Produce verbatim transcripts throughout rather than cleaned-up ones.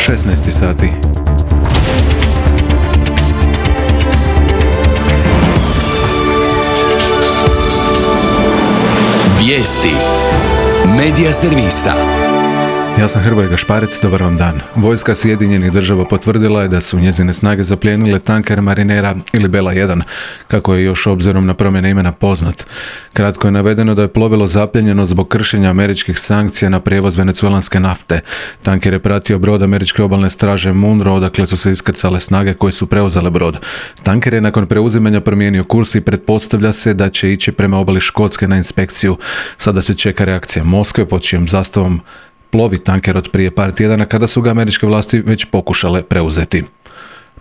šesnaest sati. Vijesti Medija servisa. Ja sam Hrvoje Gašparec, dobar vam dan. Vojska Sjedinjenih država potvrdila je da su njezine snage zaplijenile tanker Marinera ili Bela jedan, kako je još obzirom na promjene imena poznat. Kratko je navedeno da je plovilo zapljenjeno zbog kršenja američkih sankcija na prijevoz venecuelanske nafte. Tanker je pratio brod američke obalne straže Munro, odakle su se iskrcale snage koje su preuzele brod. Tanker je nakon preuzimanja promijenio kurs i pretpostavlja se da će ići prema obali Škotske na inspekciju. Sada se čeka reakcija Moskve, pod čijom zastavom plovi tanker od prije par tjedana kada su ga američke vlasti već pokušale preuzeti.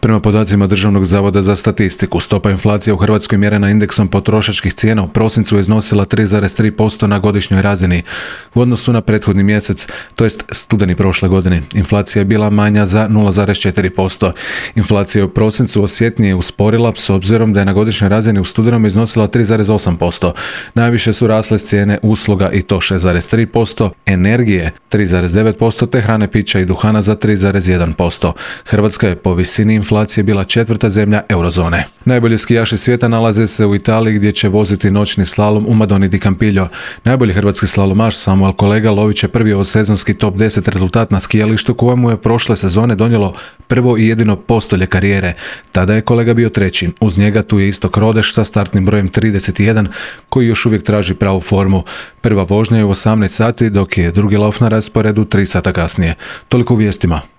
Prema podacima Državnog zavoda za statistiku, stopa inflacije u Hrvatskoj mjerena indeksom potrošačkih cijena u prosincu je iznosila tri zarez tri posto na godišnjoj razini. U odnosu na prethodni mjesec, to jest studeni prošle godine, inflacija je bila manja za nula zarez četiri posto. Inflacija je u prosincu osjetnije usporila s obzirom da je na godišnjoj razini u studenom iznosila tri zarez osam posto. Najviše su rasle cijene usluga i to šest zarez tri posto, energije tri zarez devet posto te hrane, pića i duhana za tri zarez jedan posto. Hrvatska je po visini inflacije je bila četvrta zemlja eurozone. Najbolji skijaši svijeta nalaze se u Italiji gdje će voziti noćni slalom u Madoni di Campiglio. Najbolji hrvatski slalomaš Samuel Kolega lovit će prvi ovosezonski top deset rezultat na skijalištu kojemu je prošle sezone donijelo prvo i jedino postolje karijere. Tada je Kolega bio treći. Uz njega tu je Istok Rodeš sa startnim brojem trideset jedan koji još uvijek traži pravu formu. Prva vožnja je u osamnaest sati dok je drugi lov na rasporedu tri sata kasnije. Toliko u vijestima.